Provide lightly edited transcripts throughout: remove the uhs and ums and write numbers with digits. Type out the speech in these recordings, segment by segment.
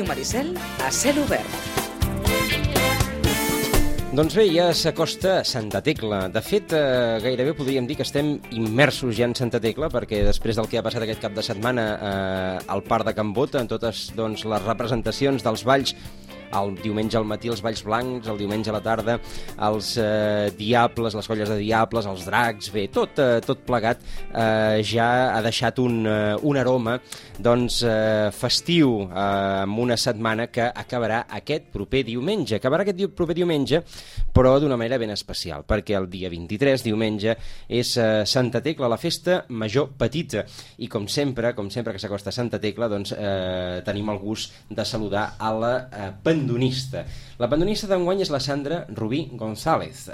Ràdio Maricel a cel obert. Doncs bé, ja s'acosta Santa Tecla. De fet, gairebé podríem dir que estem immersos ja en Santa Tecla, perquè després del que ha passat aquest cap de setmana al Parc de Can Bota, en totes les representacions dels balls, el diumenge al matí els balls blancs, el diumenge a la tarda els diables, les colles de diables, els dracs, bé, tot plegat ja ha deixat un aroma festiu amb una setmana que acabarà aquest proper diumenge. Acabarà aquest proper diumenge, però d'una manera ben especial, perquè el dia 23, diumenge, és Santa Tecla, la festa major petita. I com sempre que s'acosta Santa Tecla, doncs tenim el gust de saludar a la pendonista. La pendonista d'enguany és la Sandra Rubí González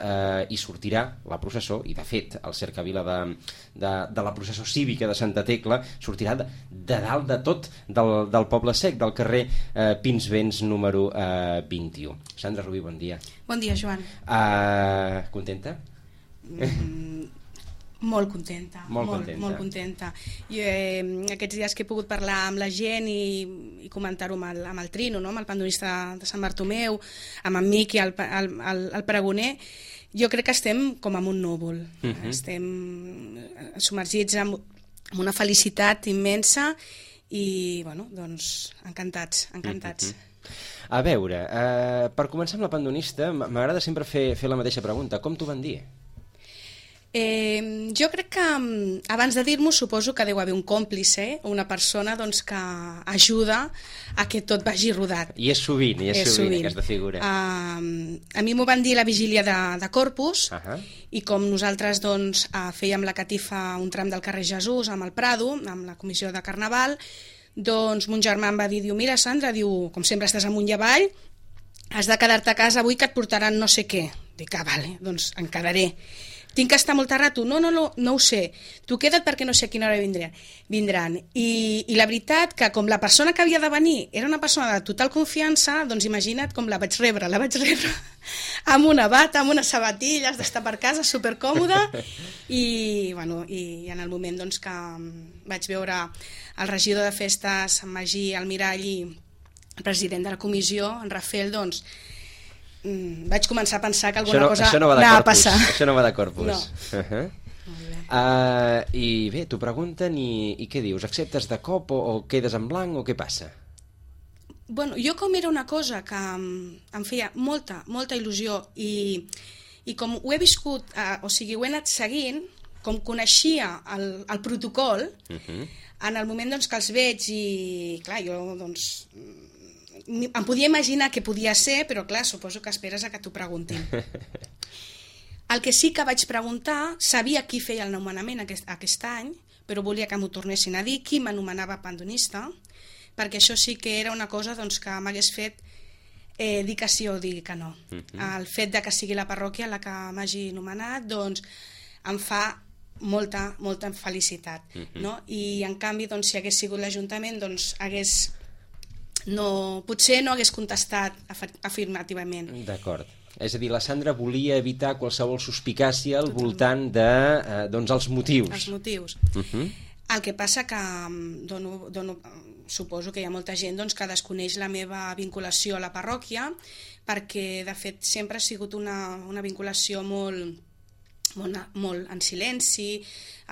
i sortirà la processó, i de fet el cercavila de la processó cívica de Santa Tecla sortirà de dalt de tot del Poble Sec, del carrer Pinsbens número 21. Sandra Rubí, bon dia. Bon dia, Joan. Contenta? Molt contenta. Molt contenta. Jo, aquests dies que he pogut parlar amb la gent i comentar-ho amb el Trino, no? Amb el pendonista de Sant Bartomeu, amb en Miqui, el pregoner, jo crec que estem com en un núvol. Estem submergits en una felicitat immensa i, bueno, doncs, encantats. A veure, per començar amb la pendonista, m'agrada sempre fer la mateixa pregunta. Com t'ho van dir? Jo crec que abans de dir-m'ho suposo que deu haver un còmplice, una persona que ajuda a que tot vagi rodat. I és sovint aquesta figura. A mi m'ho van dir la vigília de Corpus, i com nosaltres fèiem la catifa un tram del carrer Jesús amb el Prado, amb la comissió de Carnaval, doncs mon germà em va dir, mira Sandra, com sempre estàs amunt i avall, has de quedar-te a casa avui que et portaran no sé què. Dic, vale, doncs em quedaré. Tinc que estar molt rato? No ho sé. Tu queda't perquè no sé a quina hora vindran. I la veritat que com la persona que havia de venir era una persona de total confiança, doncs imagina't com la vaig rebre. La vaig rebre amb una bata, amb unes sabatilles, d'estar per casa, supercòmoda, i en el moment que vaig veure el regidor de festes, en Magí, el Mirall i el president de la comissió, en Rafael, vaig començar a pensar que alguna cosa anava a passar. Això no va de Corpus. No. I bé, t'ho pregunten i què dius? Acceptes de cop o quedes en blanc o què passa? Bueno, jo com era una cosa que em feia molta il·lusió i com ho he viscut, ho he anat seguint, com coneixia el protocol, en el moment que els veig i clar, jo em podia imaginar què podia ser, però clar, suposo que esperes a que t'ho preguntin. El que sí que vaig preguntar, sabia qui feia el nomenament aquest any, però volia que m'ho tornessin a dir, qui m'anomenava pendonista, perquè això sí que era una cosa que m'hagués fet dir que sí o dir que no. El fet de que sigui la parròquia la que m'hagi nomenat, doncs em fa molta felicitat. I en canvi, si hagués sigut l'Ajuntament, potser no hagués contestat afirmativament. D'acord. És a dir, la Sandra volia evitar qualsevol suspicàcia al voltant dels motius. Els motius. El que passa que suposo que hi ha molta gent que desconeix la meva vinculació a la parròquia, perquè de fet sempre ha sigut una vinculació molt en silenci,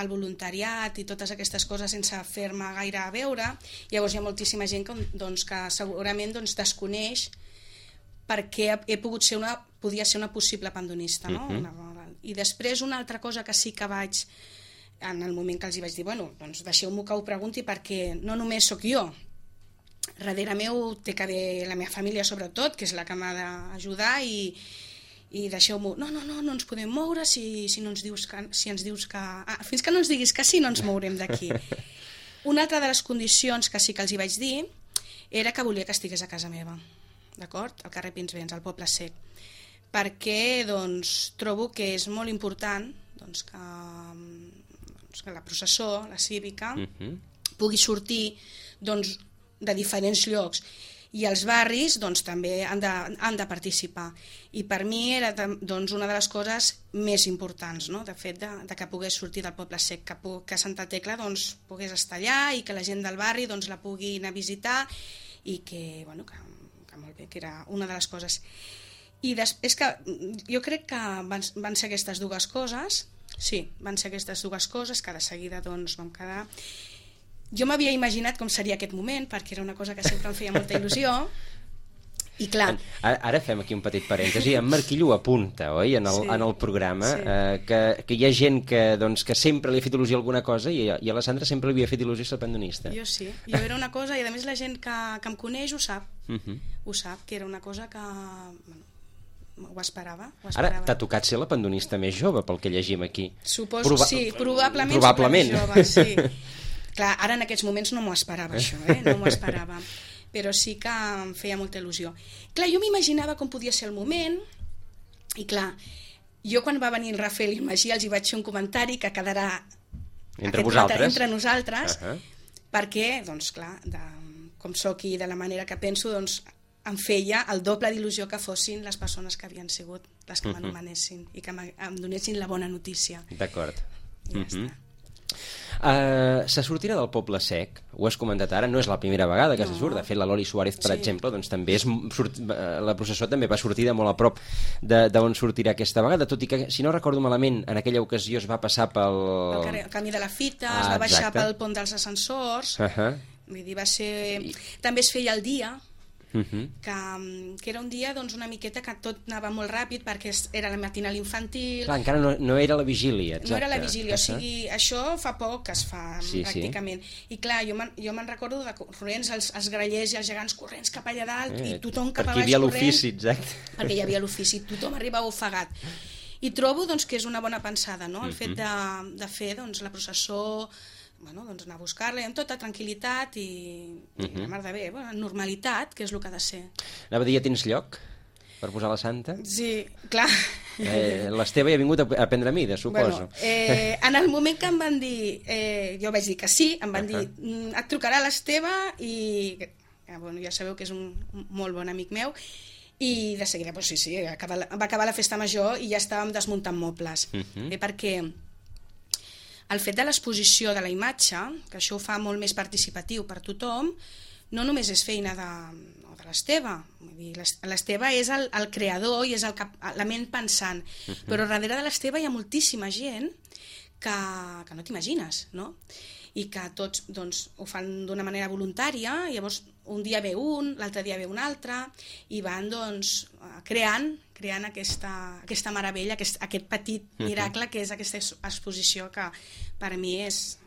el voluntariat i totes aquestes coses sense fer-me gaire a veure. Llavors hi ha moltíssima gent que segurament desconeix perquè podia ser una possible pendonista. I després una altra cosa que sí que vaig, en el moment que els hi vaig dir, deixeu-m'ho que ho pregunti perquè no només sóc jo, darrere meu té que haver la meva família sobretot, que és la que m'ha d'ajudar, i deixeu-m'ho, no ens podem moure si ens dius que fins que no ens diguis que sí no ens mourem d'aquí. Una altra de les condicions que sí que els hi vaig dir era que volia que estigués a casa meva, d'acord? Al carrer Pinsbens, al Poble Sec, perquè trobo que és molt important que la processó, la cívica, pugui sortir de diferents llocs, i els barris també han de participar. I per mi era una de les coses més importants, de fet, que pogués sortir del Poble Sec, que Santa Tecla pogués estar allà i que la gent del barri la pugui anar a visitar i que, bueno, que molt bé, que era una de les coses. I és que jo crec que van ser aquestes dues coses, sí, van ser aquestes dues coses que de seguida doncs vam quedar. Jo m'havia imaginat com seria aquest moment, perquè era una cosa que sempre em feia molta il·lusió, i clar... Ara fem aquí un petit parèntesi. En Marquillo apunta, oi, en el programa, que hi ha gent que sempre li ha fet il·lusió alguna cosa i a la Sandra sempre li havia fet il·lusió ser pandonista. Jo sí, jo era una cosa, i a més la gent que em coneix ho sap, ho sap, que era una cosa que... Bueno, ho esperava. Ara t'ha tocat ser la pandonista més jove, pel que llegim aquí. Suposo, sí, probablement. Jove, sí. Clar, ara en aquests moments no m'ho esperava, això, no m'ho esperava. Però sí que em feia molta il·lusió. Clar, jo m'imaginava com podia ser el moment, i clar, jo quan va venir el Rafael i el Magí els hi vaig fer un comentari que quedarà entre nosaltres, perquè, doncs clar, com soc i de la manera que penso, doncs em feia el doble d'il·lusió que fossin les persones que havien sigut les que m'anomenessin i que em donessin la bona notícia. D'acord. I ja està. Se sortirà del Poble Sec, ho has comentat ara, no és la primera vegada que se surt. De fet, la Loli Suárez, per exemple, doncs també la processó també va sortir de molt a prop d'on sortirà aquesta vegada, tot i que, si no recordo malament, en aquella ocasió es va passar pel camí de la Fita, es va baixar pel pont dels ascensors, vull dir, va ser... També es feia el dia, que era un dia doncs, una miqueta que tot anava molt ràpid perquè era la matinal infantil. Clar, encara no era la vigília, exacte. No era la vigília, o sigui, això fa poc que es fa, pràcticament. I clar, jo me'n recordo de corrents, els grallers i els gegants corrents cap allà dalt i tothom cap a baix corrent. Perquè hi havia l'ofici, exacte. Perquè hi havia l'ofici, tothom arribava ofegat. I trobo doncs, que és una bona pensada, no? El fet de fer doncs, la processó, bueno, doncs anar a buscar-la amb tota tranquil·litat i la mar de bé, normalitat, que és el que ha de ser. Anava a dir, ja tens lloc per posar la Santa? Sí, clar. L'Esteve ja ha vingut a prendre mida, suposo. En el moment que em van dir, jo vaig dir que sí, em van dir, et trucarà l'Esteve i ja sabeu que és un molt bon amic meu, i de seguida, doncs sí, va acabar la festa major i ja estàvem desmuntant mobles. Perquè el fet de l'exposició de la imatge, que això ho fa molt més participatiu per tothom, no només és feina de l'Esteve. L'Esteve és el creador i és la ment pensant, però darrere de l'Esteve hi ha moltíssima gent que no t'imagines, no? I que tots doncs, ho fan d'una manera voluntària, i llavors un dia ve un, l'altre dia ve un altre, i van doncs, creant aquesta meravella, aquest petit miracle que és aquesta exposició que per a mi és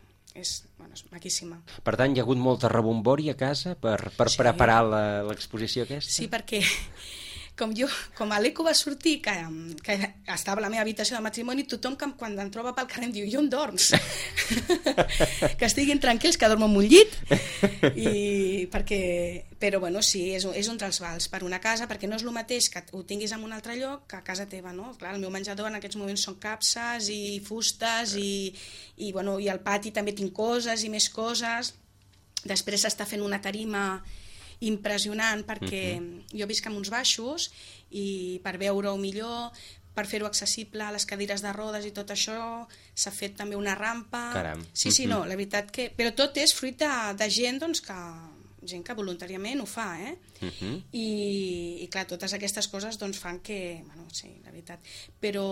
maquíssima. Per tant, hi ha hagut molta rebombori a casa per preparar l'exposició aquesta? Sí, perquè com l'Eco va sortir, que estava a la meva habitació de matrimoni, tothom quan em troba pel carrer em diu, i on dorms? Que estiguin tranquils, que dormo en un llit. Però bueno, sí, és un dels vals per una casa, perquè no és el mateix que ho tinguis en un altre lloc que a casa teva, no? Clar, el meu menjador en aquests moments són capses i fustes i al pati també tinc coses i més coses. Després s'està fent una tarima impressionant perquè jo visc en uns baixos i per veure-ho millor, per fer-ho accessible a les cadires de rodes i tot això, s'ha fet també una rampa. Caram. Sí, no, la veritat que... Però tot és fruit de gent doncs, que voluntàriament ho fa, I clar, totes aquestes coses doncs, fan que... Bueno, sí, la veritat. Però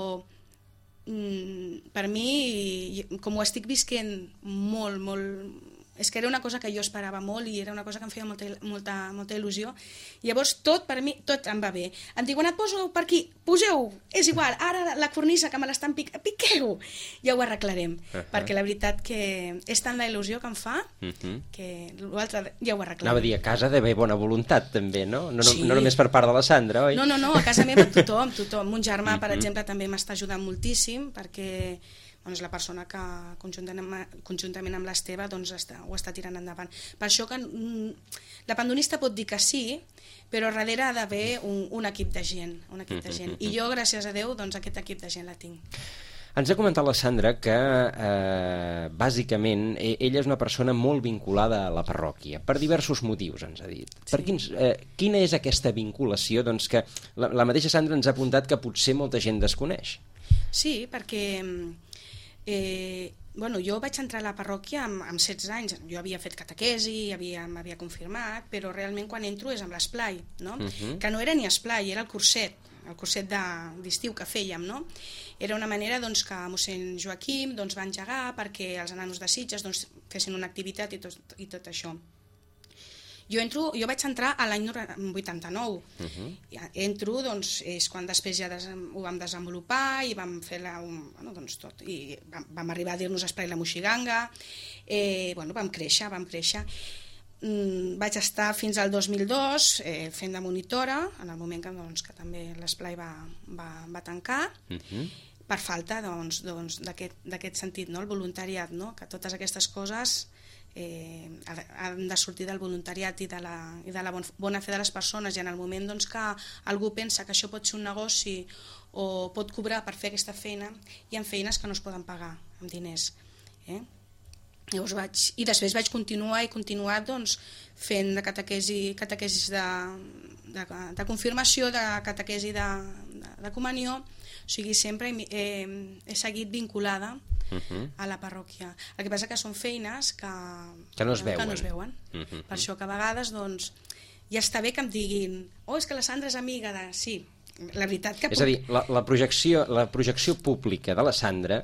per mi, com ho estic visquent molt, molt... És que era una cosa que jo esperava molt i era una cosa que em feia molta il·lusió. Llavors tot, per mi, tot em va bé. Em diuen, et poso per aquí, poseu, és igual, ara la cornisa que me l'estan piqueu, ja ho arreglarem, perquè la veritat que és tant la il·lusió que em fa que l'altre ja ho arreglarem. Anava a dir, a casa d'haver bona voluntat també, no? No només per part de la Sandra, oi? No, a casa meva tothom. Mon germà, per exemple, també m'està ajudant moltíssim perquè és la persona que conjuntament amb l'Esteve doncs, ho està tirant endavant. Per això que la pandonista pot dir que sí, però darrere ha d'haver un equip de gent. I jo, gràcies a Déu, doncs, aquest equip de gent la tinc. Ens ha comentat la Sandra que, bàsicament, ella és una persona molt vinculada a la parròquia, per diversos motius, ens ha dit. Sí. Quina és aquesta vinculació doncs, que la mateixa Sandra ens ha apuntat que potser molta gent desconeix? Sí, perquè bueno, jo vaig entrar a la parròquia amb 16 anys. Jo havia fet catequesi, m'havia confirmat, però realment quan entro és amb l'esplai, no? Que no era ni esplai, era el curset d'estiu que fèiem, no? Era una manera doncs, que mossèn Joaquim doncs, va engegar perquè els nanos de Sitges doncs, fessin una activitat i tot això. Jo vaig entrar a l'any 89. Entro, doncs, és quan després ja ho vam desenvolupar i vam fer doncs tot. I vam arribar a dir-nos esplai la moixiganga. Vam créixer. Vaig estar fins al 2002 fent de monitora, en el moment que també l'esplai va tancar, per falta d'aquest sentit, el voluntariat, que totes aquestes coses han de sortir del voluntariat i de la bona fe de les persones, i en el moment que algú pensa que això pot ser un negoci o pot cobrar per fer aquesta feina, hi ha feines que no es poden pagar amb diners. Llavors i després vaig continuar doncs, fent de catequesis de confirmació, de catequesi de comunió, o sigui, sempre he seguit vinculada a la parròquia. El que passa que són feines que no es veuen. Per això que a vegades doncs, ja està bé que em diguin és que la Sandra és amiga de... Sí, la veritat que... És a dir, la projecció pública de la Sandra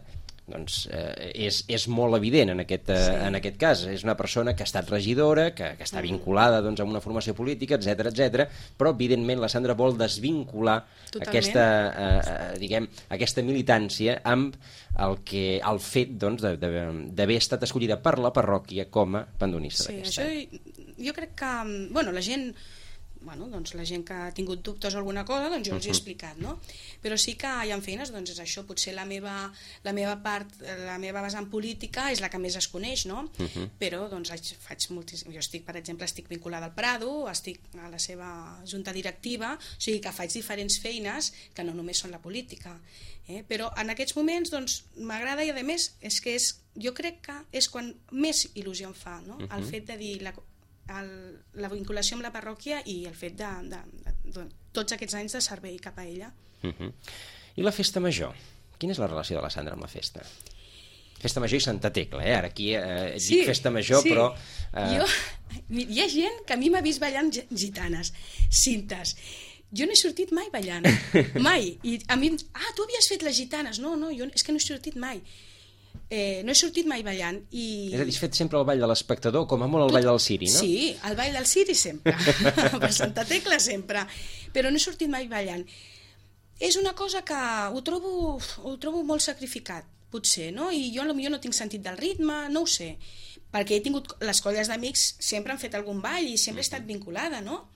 doncs, és molt evident en aquest cas. És una persona que ha estat regidora, que està vinculada doncs, a una formació política, etc, però evidentment la Sandra vol desvincular aquesta militància amb el fet doncs, d'haver estat escollida per la parròquia com a pendonista d'aquest any. Jo crec que la gent que ha tingut dubtes o alguna cosa, doncs jo els he explicat, no? Però sí que hi ha feines, doncs és això, potser la meva vessant política és la que més es coneix, no? Però doncs faig moltíssim, jo per exemple estic vinculada al Prado, estic a la seva junta directiva, o sigui que faig diferents feines que no només són la política, però en aquests moments doncs m'agrada, i a més jo crec que és quan més il·lusió em fa, no? El fet de dir la vinculació amb la parròquia i el fet de tots aquests anys de servei cap a ella. I la festa major? Quina és la relació de la Sandra amb la festa? Festa major i Santa Tecla, ara aquí dic festa major, però... Hi ha gent que a mi m'ha vist ballant gitanes, cintes. Jo no he sortit mai ballant, mai. I a mi, tu havies fet les gitanes. No, és que no he sortit mai. No he sortit mai ballant. És a dir, has fet sempre el ball de l'espectador, com a molt el ball del ciri, no? Sí, el ball del ciri sempre, per Santa Tecla sempre, però no he sortit mai ballant. És una cosa que ho trobo molt sacrificat, potser, no? I jo potser no tinc sentit del ritme, no ho sé, perquè he tingut les colles d'amics, sempre han fet algun ball i sempre he estat vinculada, no?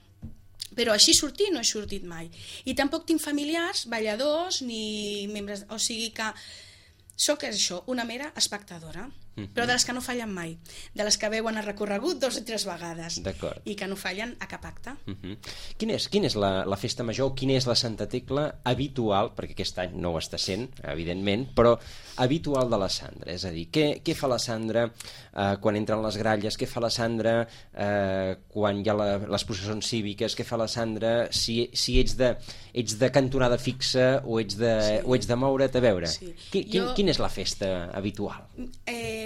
Però així sortir no he sortit mai. I tampoc tinc familiars, balladors, ni membres... O sigui que soc això, una mera espectadora, però de les que no fallen mai, de les que veuen el recorregut 2 o 3 vegades i que no fallen a cap acte. Quina és la festa major, quina és la Santa Tecla habitual, perquè aquest any no ho està sent, evidentment, però habitual de la Sandra? És a dir, què fa la Sandra quan entren les gralles, què fa la Sandra quan hi ha les processons cíviques, què fa la Sandra si ets de cantonada fixa o ets de moure't, a veure, quina és la festa habitual?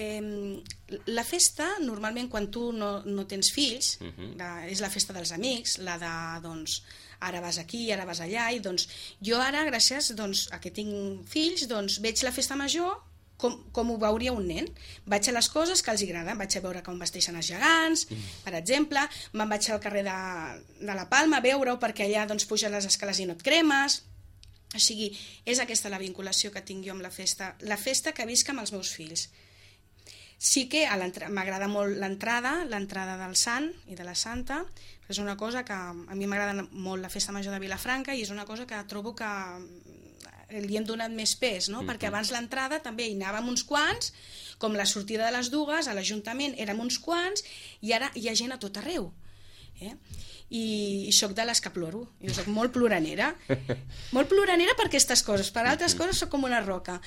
La festa, normalment quan tu no tens fills, és la festa dels amics, la de, doncs, ara vas aquí, ara vas allà, i doncs jo ara, gràcies a que tinc fills, doncs veig la festa major com ho veuria un nen. Vaig a les coses que els agraden, vaig a veure com vesteixen els gegants, per exemple, me'n vaig al carrer de la Palma a veure-ho, perquè allà doncs puges les escales i no et cremes. O sigui, és aquesta la vinculació que tinc jo amb la festa que visc amb els meus fills. Sí que m'agrada molt l'entrada del sant i de la santa, és una cosa que a mi m'agrada molt la festa major de Vilafranca, i és una cosa que trobo que li hem donat més pes, no? Perquè abans l'entrada també hi anàvem uns quants, com la sortida de les dues, a l'Ajuntament érem uns quants, i ara hi ha gent a tot arreu. I soc de les que ploro, jo soc molt ploranera per aquestes coses, per altres coses soc com una roca,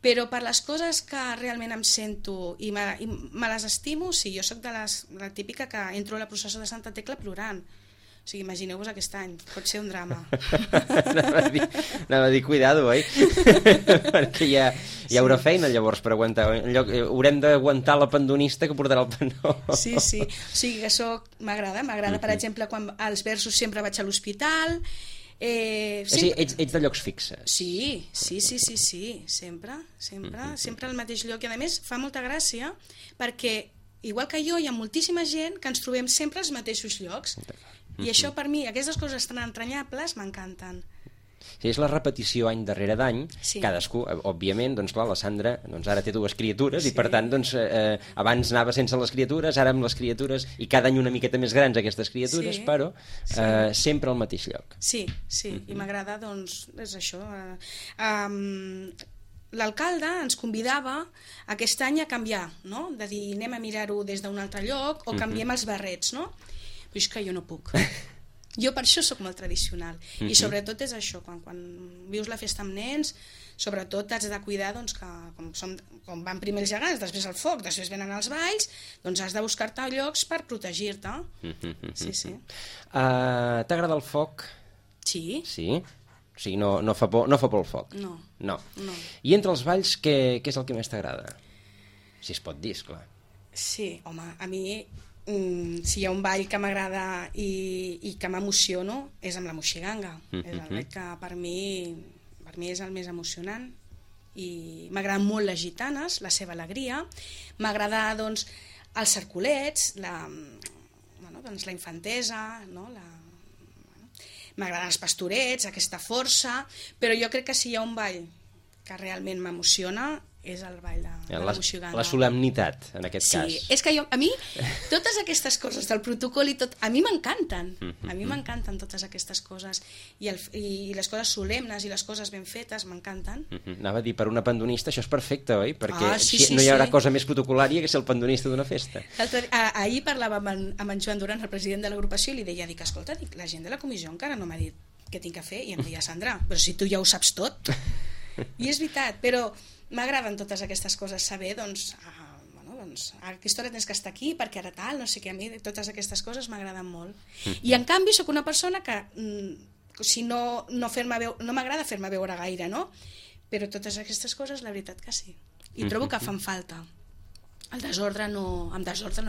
però per les coses que realment em sento i me les estimo, sí, jo soc de la típica que entro a la processó de Santa Tecla plorant, O sigui, imagineu-vos aquest any, pot ser un drama. Anava a dir cuidado, oi? Perquè hi haurà feina llavors per aguantar. Haurem d'aguantar l'abandonista que portarà el penó. Sí, o sigui que m'agrada, per exemple, quan als versos sempre vaig a l'hospital. Sí, ets de llocs fixes. Sí, sempre al mateix lloc, i a més fa molta gràcia perquè igual que jo hi ha moltíssima gent que ens trobem sempre als mateixos llocs, i això per mi, aquestes coses tan entranyables m'encanten. Sí, és la repetició any darrere d'any. Cadascú, òbviament, doncs clar, la Sandra ara té 2 criatures i per tant abans anava sense les criatures, ara amb les criatures, i cada any una miqueta més grans aquestes criatures, però sempre al mateix lloc. Sí, i m'agrada, doncs, és això. L'alcalde ens convidava aquest any a canviar, no? De dir, anem a mirar-ho des d'un altre lloc o canviem els barrets, no? Però és que jo no puc. Jo per això sóc molt tradicional. I sobretot és això, quan vius la festa amb nens, sobretot has de cuidar que com van primer els gegants, després el foc, després venen els balls, doncs has de buscar-te llocs per protegir-te. Sí. T'agrada el foc? Sí. Sí? O sigui, no fa por el foc? No. I entre els balls, què és el que més t'agrada? Si es pot dir, esclar. Sí, home, a mi, si hi ha un ball que m'agrada i que m'emociono, és amb la moixiganga. És el ball que per mi és el més emocionant. I m'agraden molt les gitanes, la seva alegria. M'agrada, doncs, els cercolets, la infantesa, no? M'agraden els pastorets, aquesta força, però jo crec que si hi ha un ball que realment m'emociona és el ball de la moixiganga. La solemnitat, en aquest cas. Sí, és que a mi, totes aquestes coses del protocol i tot, a mi m'encanten. A mi m'encanten totes aquestes coses. I les coses solemnes i les coses ben fetes m'encanten. Anava a dir, per un abandonista això és perfecte, oi? Perquè no hi haurà cosa més protocolària que ser el abandonista d'una festa. Ahir parlava amb en Joan Duran, el president de l'agrupació, i li deia, escolta, la gent de la comissió encara no m'ha dit què tinc que fer, i em deia, Sandra, però si tu ja ho saps tot. I és veritat, però m'agraden totes aquestes coses, saber, doncs, a aquesta hora tens que estar aquí, perquè ara tal, no sé què, a mi totes aquestes coses m'agraden molt. I en canvi sóc una persona que, si no m'agrada fer-me veure gaire, no? Però totes aquestes coses, la veritat que sí. I trobo que fan falta. Amb desordre no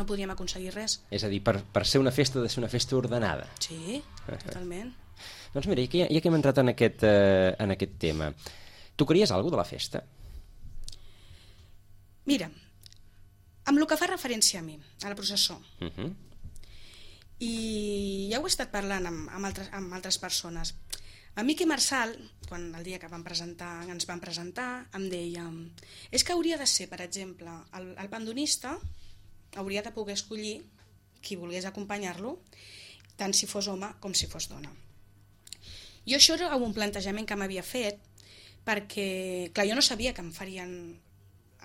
podríem aconseguir res. És a dir, per ser una festa, ha de ser una festa ordenada. Sí, totalment. Doncs mira, ja que hem entrat en aquest tema, tocaries alguna cosa de la festa? Mira, amb el que fa referència a mi, a la processó, i ja ho he estat parlant amb altres persones. A Miqui Marçal, el dia que ens van presentar, em deia, és que hauria de ser, per exemple, el pandonista hauria de poder escollir qui volgués acompanyar-lo, tant si fos home com si fos dona. Jo això era un plantejament que m'havia fet, perquè, clar, jo no sabia que em farien,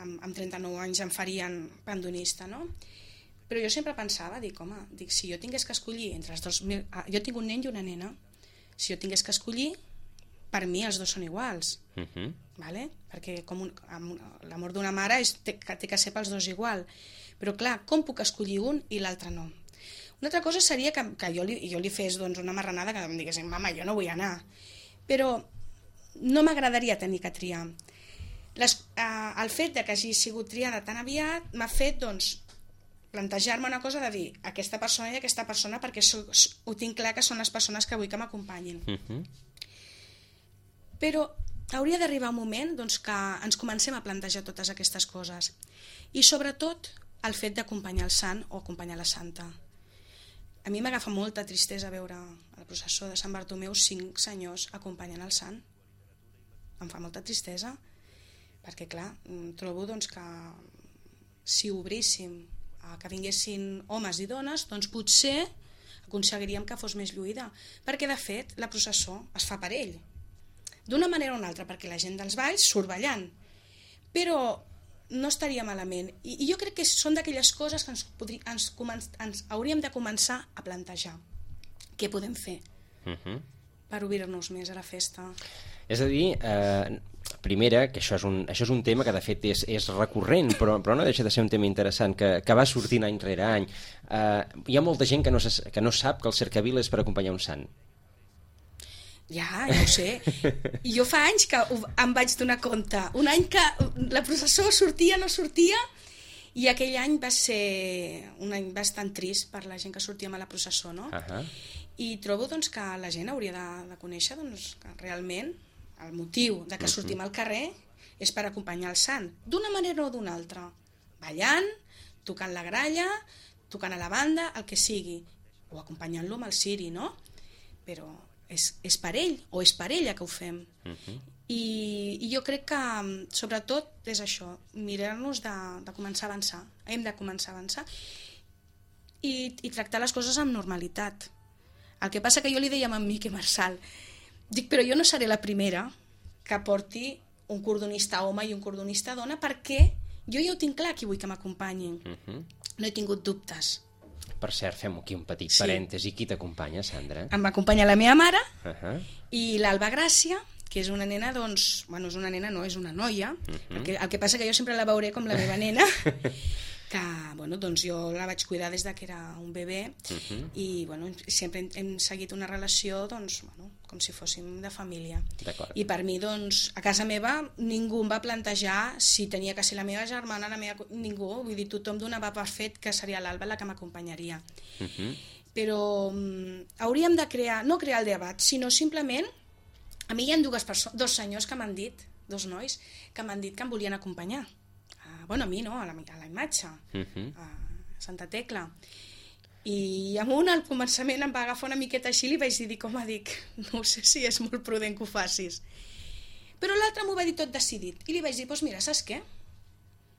amb 39 anys em farien pandonista, no? Però jo sempre pensava, si jo tingués que escollir entre els dos, jo tinc un nen i una nena, si jo tingués que escollir, per mi els dos són iguals, vale? Perquè l'amor d'una mare té que ser pels dos igual, però clar, com puc escollir un i l'altre no? Una altra cosa seria que jo li fes una marranada que em diguessin, mama, jo no vull anar, però no m'agradaria tenir que triar. El fet que hagi sigut triada tan aviat m'ha fet plantejar-me una cosa de dir aquesta persona i aquesta persona, perquè ho tinc clar que són les persones que vull que m'acompanyin. Però hauria d'arribar un moment que ens comencem a plantejar totes aquestes coses, i sobretot el fet d'acompanyar el sant o acompanyar la santa. A mi m'agafa molta tristesa veure a la processó de Sant Bartomeu 5 senyors acompanyant el sant. Em fa molta tristesa, perquè clar, trobo que si obríssim que vinguessin homes i dones, doncs potser aconseguiríem que fos més lluïda, perquè de fet la processó es fa per ell, d'una manera o una altra, perquè la gent dels balls surt ballant, però no estaria malament, i jo crec que són d'aquelles coses que ens hauríem de començar a plantejar què podem fer per obrir-nos més a la festa. És a dir, primera, que això és un tema que de fet és recurrent, però no deixa de ser un tema interessant, que va sortint any rere any. Hi ha molta gent que no sap que el cercavila és per acompanyar un sant. Ja ho sé. Jo fa anys que em vaig donar compte. Un any que la processó sortia, no sortia, i aquell any va ser un any bastant trist per la gent que sortíem a la processó, no? I trobo doncs, que la gent hauria de conèixer doncs, que realment el motiu de que sortim al carrer és per acompanyar el sant, d'una manera o d'una altra, ballant, tocant la gralla, tocant a la banda, el que sigui, o acompanyant-lo amb el ciri, no? Però és per ell, o és per ella que ho fem. I jo crec que, sobretot, és això, mirar-nos de començar a avançar. Hem de començar a avançar i tractar les coses amb normalitat. El que passa que jo li deia a en Miqui Marçal, dic, però jo no seré la primera que porti un cordonista home i un cordonista dona, perquè jo ja ho tinc clar qui vull que m'acompanyin. No he tingut dubtes. Per cert, fem aquí un petit parèntesi. Qui t'acompanya, Sandra? Em va acompanyar la meva mare i l'Alba Gràcia, que és una nena, doncs... Bueno, és una nena, no, és una noia. Perquè el que passa que jo sempre la veuré com la meva nena, que, bueno, doncs jo la vaig cuidar des que era un bebè i, bueno, sempre hem seguit una relació, doncs, bueno, com si fóssim de família. I per mi, doncs, a casa meva ningú em va plantejar si tenia que ser la meva germana, ningú, vull dir, tothom donava per fet que seria l'Alba la que m'acompanyaria. Però hauríem de no crear el debat, sinó simplement, a mi hi ha dos senyors que m'han dit, dos nois, que m'han dit que em volien acompanyar. Bueno, a mi no, a la imatge, a Santa Tecla. I amb un al començament em va agafar una miqueta així i li vaig dir, com dic, no sé si és molt prudent que ho facis. Però l'altre m'ho va dir tot decidit i li vaig dir, doncs mira, saps què?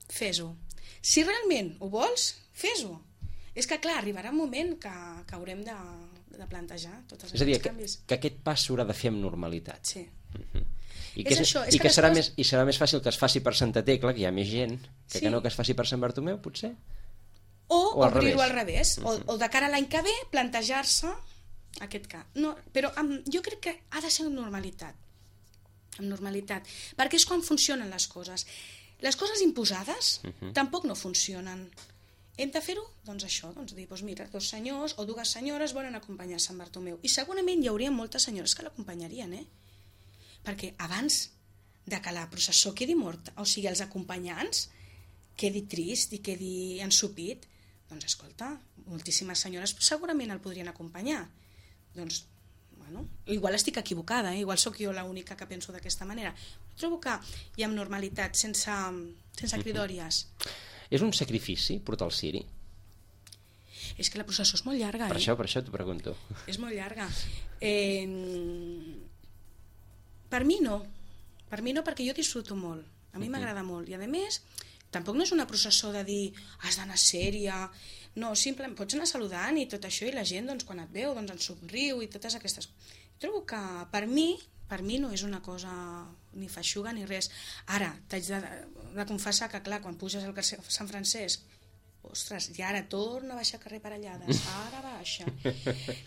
Fes-ho. Si realment ho vols, fes-ho. És que clar, arribarà un moment que haurem de plantejar tots aquests canvis. És a dir, que aquest pas s'haurà de fer amb normalitat. Sí. I que serà més fàcil que es faci per Santa Tecla, que hi ha més gent, que no que es faci per Sant Bartomeu, potser? O obrir-ho al revés, o de cara a l'any que ve plantejar-se aquest cas. No, però jo crec que ha de ser amb normalitat, perquè és quan funcionen les coses. Les coses imposades tampoc no funcionen. Hem de fer-ho, doncs això, dir, mira, dos senyors o dues senyores volen acompanyar Sant Bartomeu, i segurament hi hauria moltes senyores que l'acompanyarien, perquè abans de que la processó quedi morta, o sigui, els acompanyants quedi trist i quedi ensupit, doncs escolta, moltíssimes senyores segurament el podrien acompanyar. Doncs, bueno, igual estic equivocada, igual sóc jo l'única que penso d'aquesta manera. Trobo que hi ha normalitat, sense cridòries. És un sacrifici portar el ciri? És que la processó és molt llarga, Per això t'ho pregunto. És molt llarga. Per mi no, perquè jo disfruto molt. A mi m'agrada molt. I a més, tampoc no és una processó de dir has d'anar sèria. No, simplement pots anar saludant i tot això, i la gent, doncs, quan et veu, doncs, ens somriu i totes aquestes... Trobo que per mi no és una cosa ni feixuga ni res. Ara, t'haig de confessar que, clar, quan puges al carrer Sant Francesc, ostres, i ara torna a baixar carrer Parellades, ara baixa.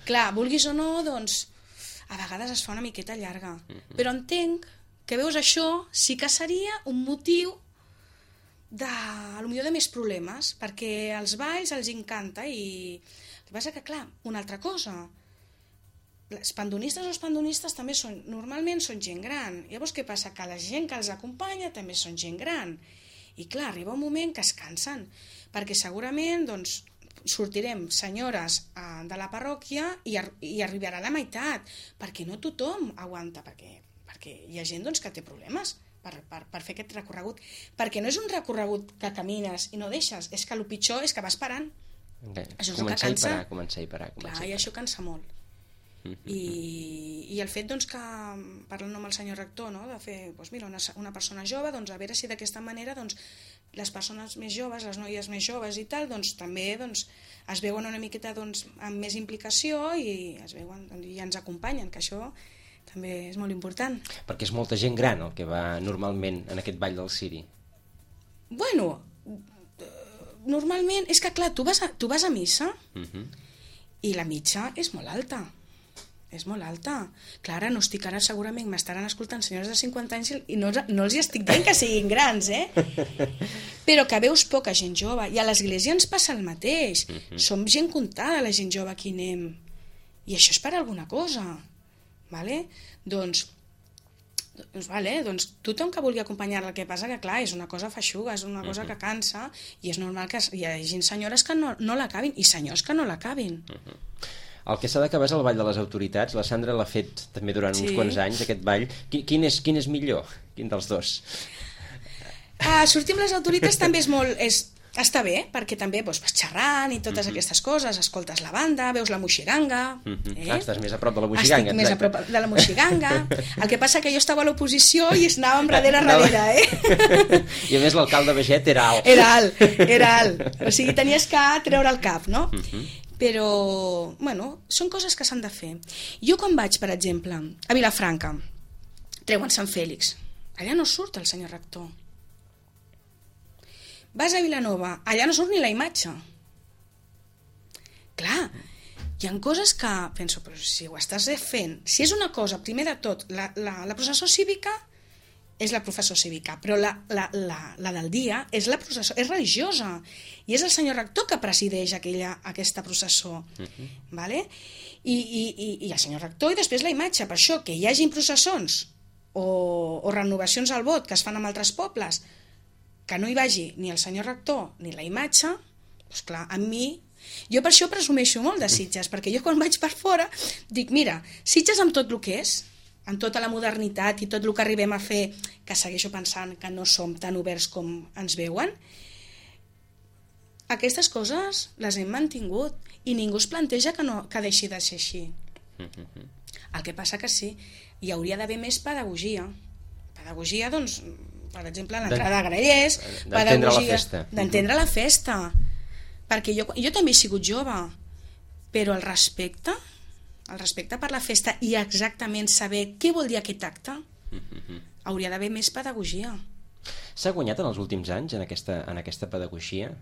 Clar, vulguis o no, doncs, a vegades es fa una miqueta llarga. Però entenc que veus això, sí que seria un motiu potser de més problemes, perquè als balls els encanta i... El que passa que, clar, una altra cosa, els pandonistes o els pandonistes també normalment són gent gran. Llavors què passa? Que la gent que els acompanya també són gent gran. I clar, arriba un moment que es cansen, perquè segurament doncs, sortirem senyores de la parròquia i arribarà a la meitat, perquè no tothom aguanta, perquè hi ha gent doncs, que té problemes per fer aquest recorregut, perquè no és un recorregut que camines i no deixes, és que el pitjor és que vas parant. Això és el que cansa. Començar i parar. Clar, i això cansa molt. I el fet doncs, que, parlant amb el senyor rector, no, de fer doncs, mira, una persona jove, doncs, a veure si d'aquesta manera doncs, les persones més joves, les noies més joves i tal, doncs, també doncs, es veuen una miqueta doncs, amb més implicació i ens acompanyen, que això també és molt important. Perquè és molta gent gran el que va normalment en aquest ball del ciri. Bueno, normalment, és que clar, tu vas a missa i la mitja és molt alta. és molt alta. Clar, ara no estic, ara segurament m'estaran escoltant senyors de 50 anys i no els hi estic dient que siguin grans, però que veus poca gent jove, i a l'església ens passa el mateix. Som gent comptada, la gent jove que hi anem, i això és per alguna cosa, vale? Doncs tothom que vulgui acompanyar-la, el que passa que clar, és una cosa feixuga, és una cosa que cansa, i és normal que hi hagi senyores que no l'acabin i senyors que no l'acabin. El que s'ha d'acabar és el ball de les autoritats. La Sandra l'ha fet també durant uns quants anys, aquest ball. Quin és millor? Quin dels dos? Sortir amb les autoritats també està bé, perquè també vas xerrant i totes aquestes coses, escoltes la banda, veus la moixiganga. Estàs més a prop de la moixiganga. Estic més a prop de la moixiganga. El que passa que jo estava a l'oposició i anàvem darrere. I a més l'alcalde Baget era alt. Era alt. O sigui, tenies que treure el cap, no? Però, bueno, són coses que s'han de fer. Jo quan vaig, per exemple, a Vilafranca, treuen Sant Fèlix, allà no surt el senyor rector. Vas a Vilanova, allà no surt ni la imatge. Clar, hi ha coses que penso, però si ho estàs fent, si és una cosa, primer de tot, la processó cívica és la professó cívica, però la del dia és la processó, és religiosa, i és el senyor rector que presideix aquesta processó, vale? I el senyor rector i després la imatge. Per això que hi hagin processons o renovacions al vot que es fan en altres pobles, que no hi vagi ni el senyor rector ni la imatge, doncs clar, amb mi, jo per això presumeixo molt de Sitges, perquè jo quan vaig per fora dic, mira, Sitges amb tot el que és, amb tota la modernitat i tot el que arribem a fer, que segueixo pensant que no som tan oberts com ens veuen, aquestes coses les hem mantingut i ningú es planteja que deixi de ser així. El que passa que sí, hi hauria d'haver més pedagogia. Pedagogia, doncs, per exemple, l'entrada de grallers, d'entendre la festa. Perquè jo també he sigut jove, però el respecte per la festa i exactament saber què vol dir aquest acte, hauria d'haver més pedagogia. S'ha guanyat en els últims anys en aquesta pedagogia?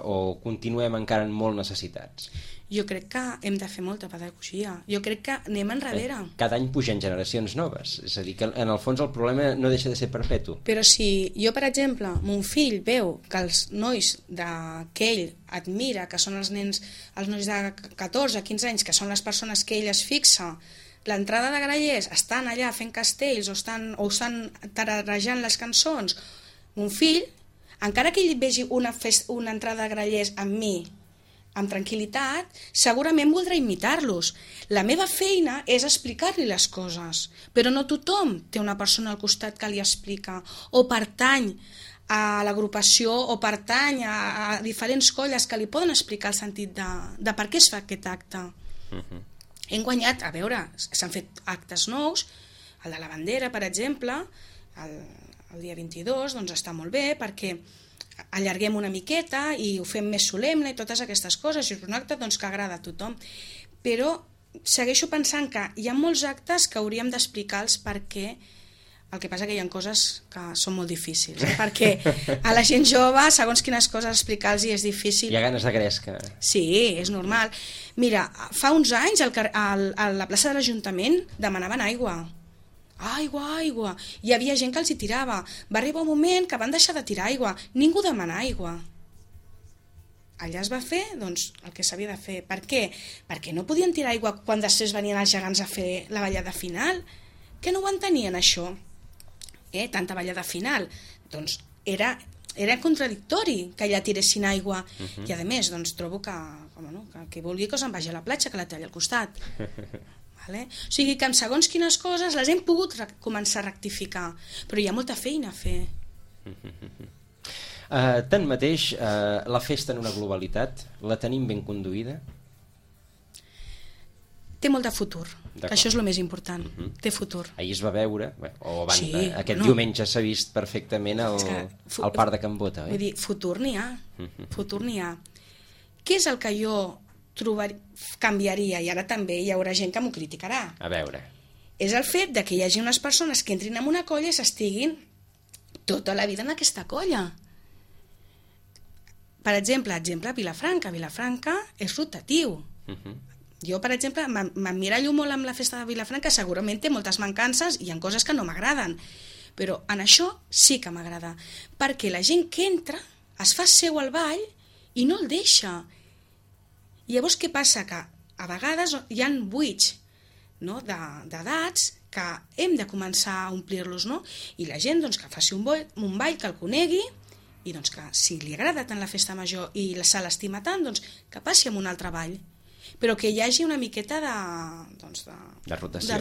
O continuem encara molt necessitats? Jo crec que hem de fer molta pedagogia. Jo crec que anem enrere. Cada any pugen generacions noves. És a dir, que en el fons el problema no deixa de ser perpetu. Però si jo, per exemple, mon fill veu que els nois que ell admira, que són els nois de 14, 15 anys, que són les persones que ell es fixa, l'entrada de grallers, estan allà fent castells o estan tararejant les cançons, mon fill, encara que ell vegi una entrada de grallers amb mi, amb tranquil·litat, segurament voldrà imitar-los. La meva feina és explicar-li les coses, però no tothom té una persona al costat que li explica, o pertany a l'agrupació, o pertany a diferents colles que li poden explicar el sentit de per què es fa aquest acte. Hem guanyat, a veure, s'han fet actes nous, el de la bandera, per exemple, el dia 22, doncs està molt bé, perquè allarguem una miqueta i ho fem més solemne i totes aquestes coses, i és un acte doncs, que agrada a tothom. Però segueixo pensant que hi ha molts actes que hauríem d'explicar-los perquè el que passa que hi ha coses que són molt difícils, perquè a la gent jove, segons quines coses explicar-los és difícil. Hi ha ganes de gresca. Sí, és normal. Mira, fa uns anys a la plaça de l'Ajuntament demanaven aigua. Aigua. Hi havia gent que els hi tirava. Va arribar un moment que van deixar de tirar aigua. Ningú demana aigua. Allà es va fer doncs, el que s'havia de fer. Per què? Perquè no podien tirar aigua quan després venien els gegants a fer la ballada final. Que no ho entenien, això? Tanta ballada final. Doncs era contradictori que allà tiressin aigua. I a més, doncs, trobo que qui vulgui que se'n vagi a la platja, que la té allà al costat. Vale? O sigui que amb segons quines coses les hem pogut començar a rectificar, però hi ha molta feina a fer. Tanmateix, la festa en una globalitat la tenim ben conduïda? Té molt de futur, que això és el més important. Té futur. Ahir es va veure, aquest diumenge s'ha vist perfectament al Parc de Can Bota. Vull dir, futur n'hi ha. Futur n'hi ha. Què és el que jo canviaria, i ara també hi haurà gent que m'ho criticarà? A veure. És el fet de que hi hagi unes persones que entrin en una colla i s'estiguin tota la vida en aquesta colla. Per exemple, Vilafranca. Vilafranca és rotatiu. Jo, per exemple, m'emmirallo molt amb la festa de Vilafranca, segurament té moltes mancances i hi ha coses que no m'agraden, però en això sí que m'agrada, perquè la gent que entra es fa seu al ball i no el deixa. I llavors què passa? Que a vegades hi ha buits, no? d'edats que hem de començar a omplir-los, no? I la gent doncs, que faci un ball, que el conegui, i doncs, que si li agrada tant la festa major i se l'estima tant, doncs, que passi amb un altre ball, però que hi hagi una miqueta de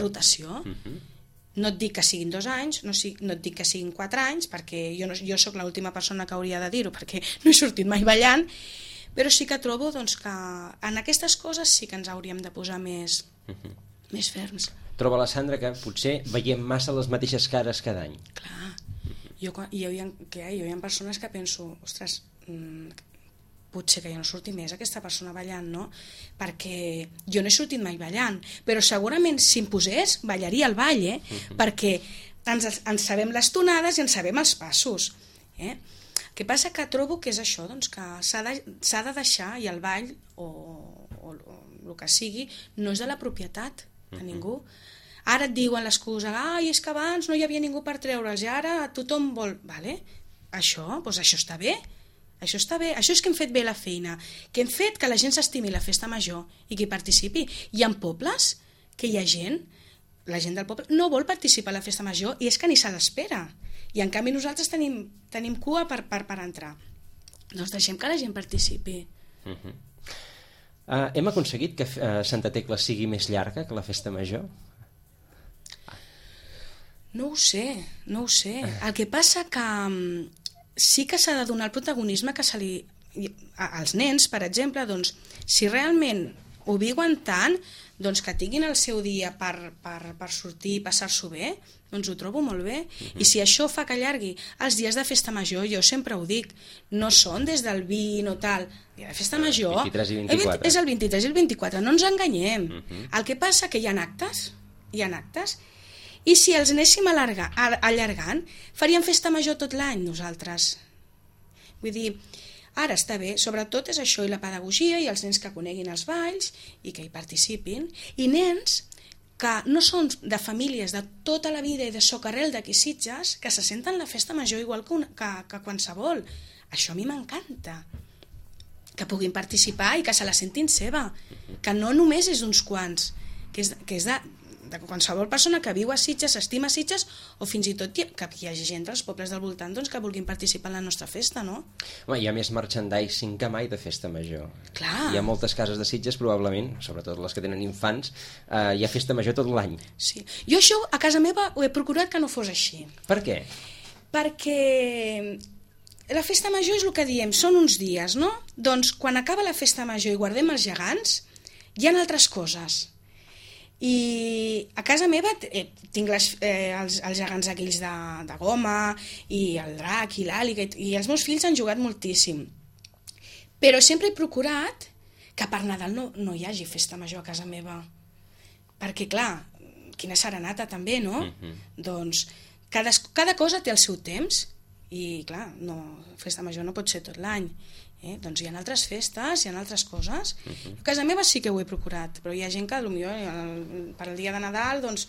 rotació. No et dic que siguin 2 anys, no et dic que siguin 4 anys, perquè jo sóc l'última persona que hauria de dir-ho, perquè no he sortit mai ballant, però sí que trobo doncs, que en aquestes coses sí que ens hauríem de posar més ferms. Troba la Sandra que potser veiem massa les mateixes cares cada any. Clar, hi ha persones que penso, ostres, potser que jo no surti més aquesta persona ballant, no? Perquè jo no he sortit mai ballant, però segurament si em posés ballaria el ball, perquè ens sabem les tonades i ens sabem els passos. El que passa que trobo que és això, doncs, que s'ha de deixar, i el ball o el que sigui no és de la propietat de ningú. Ara et diuen l'excusa, és que abans no hi havia ningú per treure'ls i ara tothom vol... Vale? Això està bé. Això està bé, això és que hem fet bé la feina, que hem fet que la gent s'estimi la festa major i que hi participi. Hi ha pobles que hi ha gent, la gent del poble no vol participar a la festa major i és que ni se l'espera. I en canvi nosaltres tenim cua per entrar. Doncs deixem que la gent participi. Hem aconseguit que Santa Tecla sigui més llarga que la festa major? No ho sé. El que passa que sí que s'ha de donar el protagonisme que als nens, per exemple, doncs, si realment ho viuen tant, doncs que tinguin el seu dia per sortir i passar-s'ho bé, doncs ho trobo molt bé. I si això fa que allargui els dies de festa major, jo sempre ho dic, no són des del 20 o tal, el dia de festa major 23 i 24. És el 23 i el 24, no ens enganyem. El que passa que hi ha actes, i si els anéssim allargant, faríem festa major tot l'any nosaltres. Vull dir, ara està bé, sobretot és això, i la pedagogia, i els nens que coneguin els balls i que hi participin, i nens que no són de famílies de tota la vida i de socarrel d'aquí Sitges, que se senten la festa major igual que qualsevol. Això a mi m'encanta, que puguin participar i que se la sentin seva, que no només és d'uns quants, que és de qualsevol persona que viu a Sitges, s'estima Sitges, o fins i tot que hi hagi gent dels pobles del voltant doncs, que vulguin participar en la nostra festa, no? Home, hi ha més merchandising que mai de festa major. Clar. Hi ha moltes cases de Sitges, probablement, sobretot les que tenen infants, hi ha festa major tot l'any. Sí. Jo això a casa meva ho he procurat que no fos així. Per què? Perquè la festa major és el que diem, són uns dies, no? Doncs quan acaba la festa major i guardem els gegants, hi ha altres coses. I a casa meva tinc els gegants aquells de goma i el drac i l'àliga, i els meus fills han jugat moltíssim, però sempre he procurat que per Nadal no hi hagi festa major a casa meva, perquè clar, quina serenata també, no? Doncs cada cosa té el seu temps i clar, festa major no pot ser tot l'any. Doncs hi ha altres festes, hi ha altres coses. A casa meva sí que ho he procurat, però hi ha gent que potser per al dia de Nadal doncs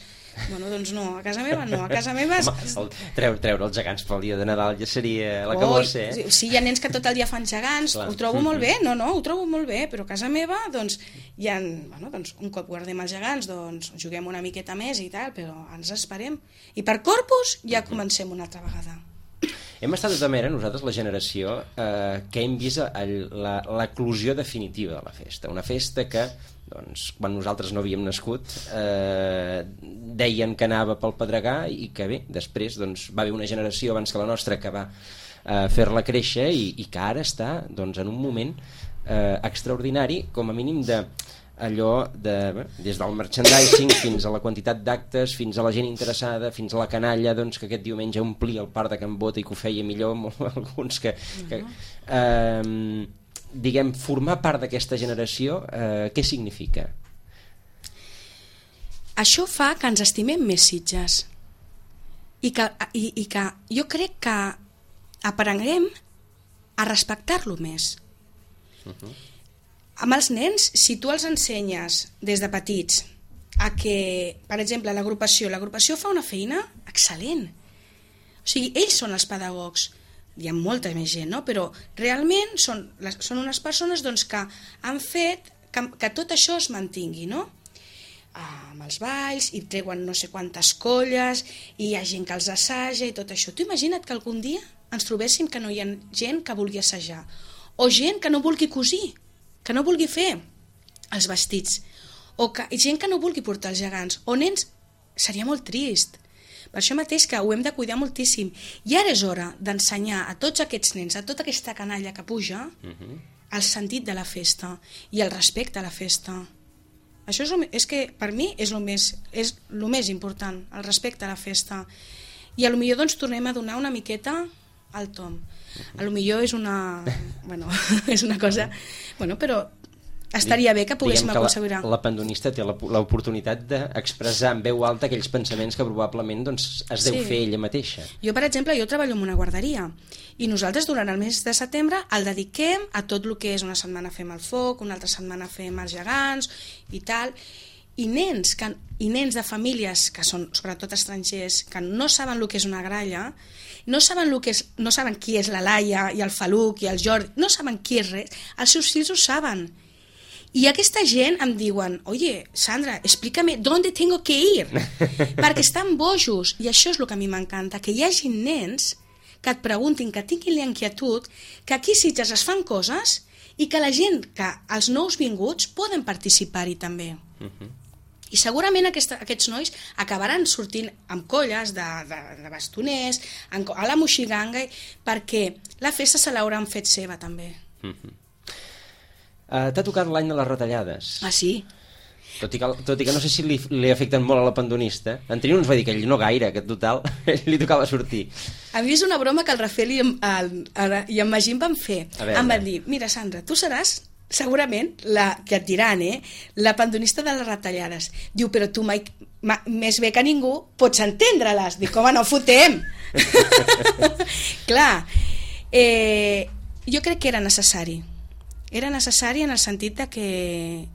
no, a casa meva no, a casa meva... Treure els gegants pel dia de Nadal ja seria la que vol ser. Sí, hi ha nens que tot el dia fan gegants, ho trobo molt bé, ho trobo molt bé, però a casa meva doncs hi ha, un cop guardem els gegants doncs juguem una miqueta més i tal, però ens esperem. I per Corpus ja comencem una altra vegada. Hem estat de tota manera, nosaltres, la generació que hem vist l'eclosió definitiva de la festa. Una festa que, doncs, quan nosaltres no havíem nascut, deien que anava pel pedregar i que bé, després doncs, va haver una generació abans que la nostra que va fer-la créixer i que ara està doncs, en un moment extraordinari, com a mínim des del merchandising fins a la quantitat d'actes, fins a la gent interessada, fins a la canalla doncs, que aquest diumenge omplia el parc de Can Bota i que ho feia millor alguns que diguem, formar part d'aquesta generació, què significa? Això fa que ens estimem més Sitges i que jo crec que aprenguem a respectar-lo més. Amb els nens, si tu els ensenyes des de petits a que, per exemple, l'agrupació fa una feina excel·lent. O sigui, ells són els pedagogs. Hi ha molta més gent, no? Però realment són unes persones doncs, que han fet que tot això es mantingui, no? Amb els balls, i treuen no sé quantes colles, i hi ha gent que els assaja i tot això. Tu imagina't que algun dia ens trobéssim que no hi ha gent que vulgui assajar, o gent que no vulgui cosir, que no vulgui fer els vestits, o gent que no vulgui portar els gegants, o nens, seria molt trist. Per això mateix que ho hem de cuidar moltíssim. I ara és hora d'ensenyar a tots aquests nens, a tota aquesta canalla que puja, el sentit de la festa i el respecte a la festa. Això és que per mi és el més important, el respecte a la festa. I potser doncs tornem a donar una miqueta al Tom. Potser és és una cosa... però estaria bé que poguéssim aconseguir. La pandonista té l'oportunitat d'expressar en veu alta aquells pensaments que probablement es deu fer ella mateixa. Jo, per exemple, treballo en una guarderia i nosaltres durant el mes de setembre el dediquem a tot el que és una setmana fem el foc, una altra setmana fem els gegants i tal, i nens de famílies que són sobretot estrangers, que no saben el que és una gralla, no saben qui és la Laia i el Faluc i el Jordi, no saben qui és res, els seus fills ho saben. I aquesta gent em diuen, oye, Sandra, explícame dónde tengo que ir, perquè estan bojos, i això és el que a mi m'encanta, que hi hagi nens que et preguntin, que tinguin l'inquietud, que aquí a Sitges es fan coses i que la gent, que els nous vinguts poden participar-hi també. I segurament aquests nois acabaran sortint amb colles de bastoners, a la moixiganga, perquè la festa se l'hauran fet seva també. T'ha tocat l'any de les retallades. Ah, sí? Tot i que no sé si li afecten molt a la pandonista. En Trini ens va dir que ell no gaire, que total li tocava sortir. A mi és una broma que el Rafael i en Magí em van fer. Em van dir, mira Sandra, tu seràs segurament que et diran, la pandonista de les retallades. Diu, però tu mai més bé que ningú pots entendre-les. Dic, home, no fotem. Clar, jo crec que era necessari. Era necessari en el sentit de que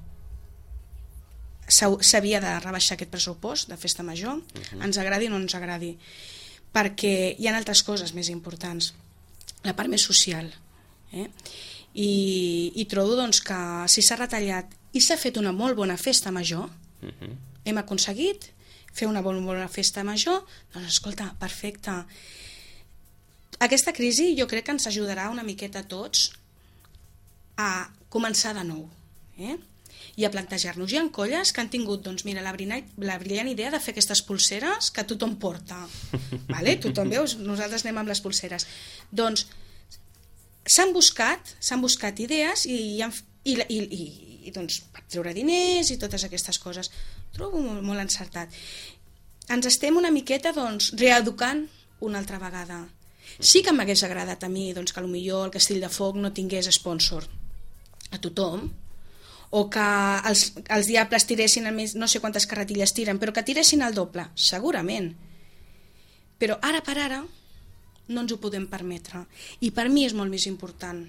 s'havia de rebaixar aquest pressupost de festa major, ens agradi o no ens agradi, perquè hi ha altres coses més importants, la part més social. I trobo doncs, que si s'ha retallat i s'ha fet una molt bona festa major, hem aconseguit fer una bona festa major, doncs escolta, perfecte. Aquesta crisi jo crec que ens ajudarà una miqueta a tots a començar de nou, i a plantejar-nos. Hi ha colles que han tingut doncs, mira, la brillant idea de fer aquestes pulseres que tothom porta. Tothom, veus? Nosaltres anem amb les pulseres. Doncs s'han buscat idees i doncs, per treure diners i totes aquestes coses. Trobo molt encertat. Ens estem una miqueta doncs, reeducant una altra vegada. Sí que m'hagués agradat a mi doncs, que potser el Castell de Foc no tingués sponsor a tothom, o que els diables tiressin no sé quantes carretilles tiren, però que tiressin el doble, segurament. Però ara per ara no ens ho podem permetre. I per mi és molt més important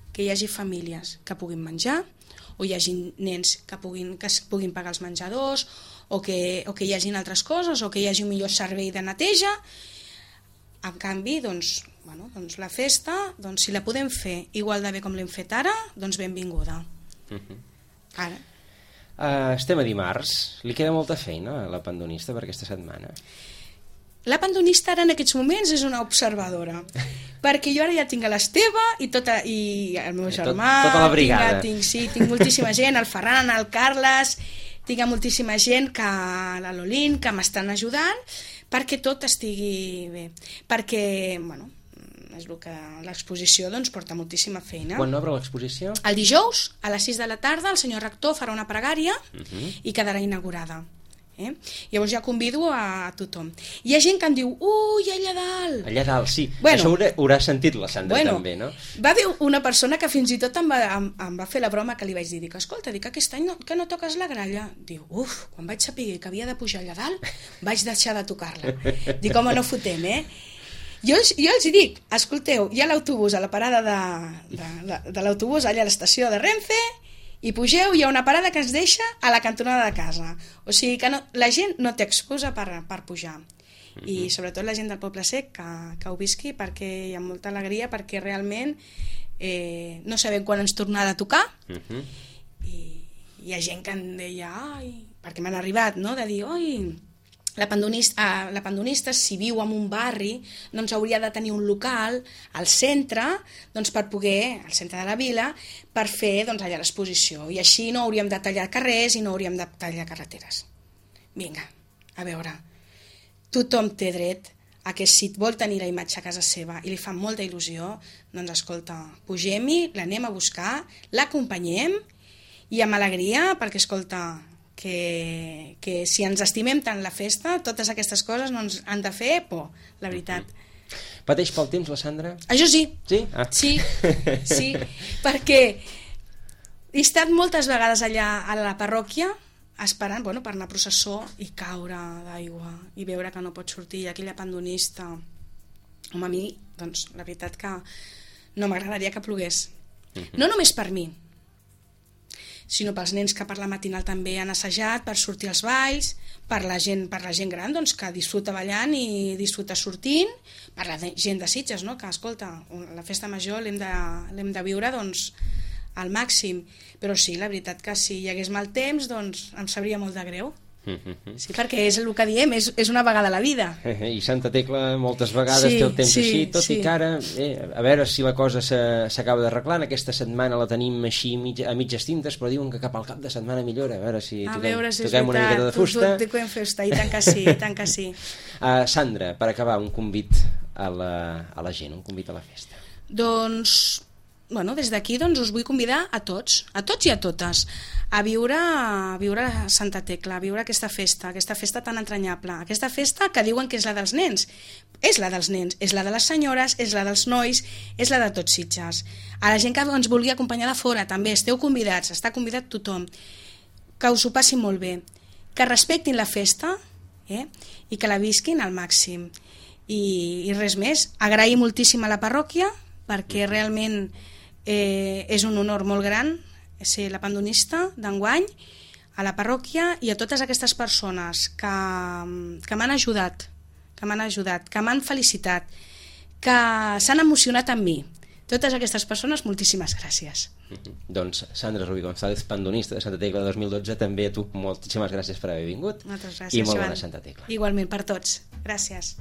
que hi hagi famílies que puguin menjar, o hi hagi nens que es puguin pagar els menjadors, o que hi hagin altres coses, o que hi hagi un millor servei de neteja. En canvi, doncs la festa, doncs, si la podem fer igual de bé com l'hem fet ara, doncs benvinguda. Ara. Estem a dimarts. Li queda molta feina a la pandonista per aquesta setmana? La pandonista ara en aquests moments és una observadora, perquè jo ara ja tinc a l'Esteve i el meu germà, tota la brigada. Tinc moltíssima gent, el Ferran, el Carles, tinc moltíssima gent, la Lolín, que m'estan ajudant perquè tot estigui bé, perquè és el que l'exposició doncs, porta moltíssima feina. Quan obre l'exposició? El dijous, a les 6 de la tarda, el senyor rector farà una pregària i quedarà inaugurada. Llavors ja convido a tothom. Hi ha gent que em diu, allà dalt. Allà dalt, sí. Això haurà sentit la Sandra també, no? Va haver una persona que fins i tot em va fer la broma que li vaig dir, escolta, aquest any que no toques la gralla. Diu, quan vaig saber que havia de pujar allà dalt, vaig deixar de tocar-la. Dic, home, no fotem, Jo els dic, escolteu, hi ha l'autobús a la parada de l'autobús allà a l'estació de Renfe i pugeu, hi ha una parada que es deixa a la cantonada de casa. O sigui que no, la gent no té excusa per pujar. I sobretot la gent del Poble Sec que ho visqui, perquè hi ha molta alegria, perquè realment no sabem quan ens tornarà a tocar. I hi ha gent que em deia, perquè m'han arribat, no?, de dir, la pandonista, si viu en un barri, doncs hauria de tenir un local al centre, doncs per poder, al centre de la vila, per fer doncs, allà l'exposició. I així no hauríem de tallar carrers i no hauríem de tallar carreteres. Vinga, a veure, tothom té dret a que si vol tenir la imatge a casa seva i li fa molta il·lusió, doncs escolta, pugem-hi, l'anem a buscar, l'acompanyem i amb alegria, perquè escolta, que si ens estimem tant la festa, totes aquestes coses no ens han de fer por, la veritat. Pateix pel temps, la Sandra? Això sí. Sí? Sí, perquè he estat moltes vegades allà a la parròquia esperant per anar a processó i caure d'aigua i veure que no pot sortir aquella pandonista. Home, a mi, doncs, la veritat que no m'agradaria que plogués. No només per mi, sinó pels nens que per la matinal també han assajat per sortir als balls, per la gent gran doncs, que disfruta ballant i disfruta sortint, per la gent de Sitges, no? Que escolta, la festa major l'hem de viure doncs, al màxim, però sí, la veritat que si hi hagués mal temps doncs em sabria molt de greu. Sí, perquè és el que diem, és una vegada a la vida. I Santa Tecla moltes vegades té el temps així, tot i que ara a veure si la cosa s'acaba d'arreglar. Aquesta setmana la tenim així a mitges tintes, però diuen que cap al cap de setmana millora, a veure si toquem una miqueta de fusta. Toquem fusta, i tant que sí. Sandra, per acabar, un convit a la gent, un convit a la festa. Doncs des d'aquí us vull convidar a tots i a totes, a viure Santa Tecla, a viure aquesta festa tan entranyable, aquesta festa que diuen que és la dels nens. És la dels nens, és la de les senyores, és la dels nois, és la de tots Sitges. A la gent que ens vulgui acompanyar de fora també, esteu convidats, està convidat tothom. Que us ho passin molt bé, que respectin la festa i que la visquin al màxim. I res més, agrair moltíssim a la parròquia, perquè realment és un honor molt gran ser la pandonista d'enguany, a la parròquia i a totes aquestes persones que m'han ajudat, que m'han felicitat, que s'han emocionat amb mi. Totes aquestes persones, moltíssimes gràcies. Doncs Sandra Rubí González, pandonista de Santa Tecla 2012, també a tu moltíssimes gràcies per haver vingut. Moltes gràcies, i molt Joan. bona Santa Tecla. Igualment per tots. Gràcies.